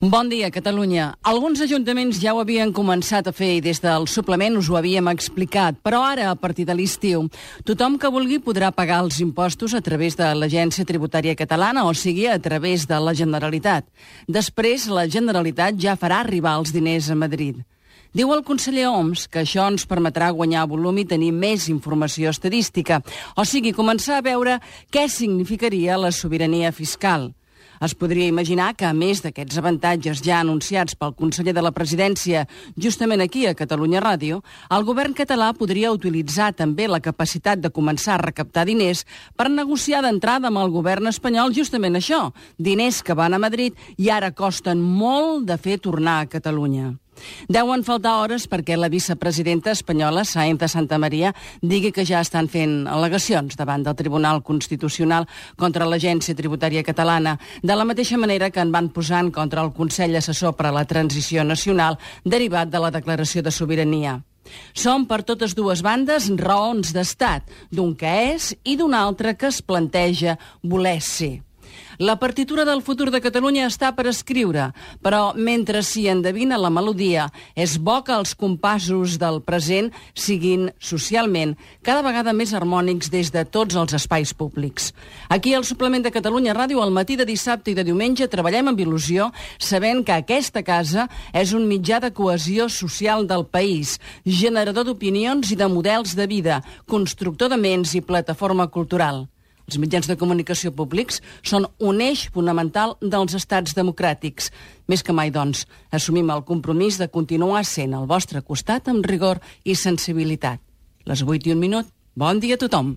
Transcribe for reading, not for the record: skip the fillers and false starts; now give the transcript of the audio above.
Bon dia, Catalunya. Alguns ajuntaments ja ho havien començat a fer i des del suplement us ho havíem explicat, però ara, a partir de l'estiu, tothom que vulgui podrà pagar els impostos a través de l'Agència Tributària Catalana, o sigui, a través de la Generalitat. Després, la Generalitat ja farà arribar els diners a Madrid. Diu el conseller Homs que això ens permetrà guanyar volum i tenir més informació estadística, o sigui, començar a veure què significaria la sobirania fiscal. Es podria imaginar que, a més d'aquests avantatges ja anunciats pel conseller de la Presidència justament aquí a Catalunya Ràdio, el govern català podria utilitzar també la capacitat de començar a recaptar diners per negociar d'entrada amb el govern espanyol justament això, diners que van a Madrid i ara costen molt de fer tornar a Catalunya. Deuen faltar hores perquè la vicepresidenta espanyola, Sáenz de Santamaría, digui que ja estan fent al·legacions davant del Tribunal Constitucional contra l'Agència Tributària Catalana, de la mateixa manera que en van posar en contra el Consell Assessor per a la Transició Nacional derivat de la Declaració de Sobirania. Són per totes dues bandes raons d'estat, d'un que és i d'un altre que es planteja voler ser. La partitura del futur de Catalunya està per escriure, però mentre s'hi endevina la melodia, és bo que els compassos del present siguin socialment cada vegada més harmònics des de tots els espais públics. Aquí al Suplement de Catalunya Ràdio, al matí de dissabte i de diumenge, treballem amb il·lusió, sabent que aquesta casa és un mitjà de cohesió social del país, generador d'opinions i de models de vida, constructor de ments i plataforma cultural. Els mitjans de comunicació públics són un eix fonamental dels estats democràtics. Més que mai, doncs, assumim el compromís de continuar sent al vostre costat amb rigor i sensibilitat. Les 8:01. Bon dia a tothom.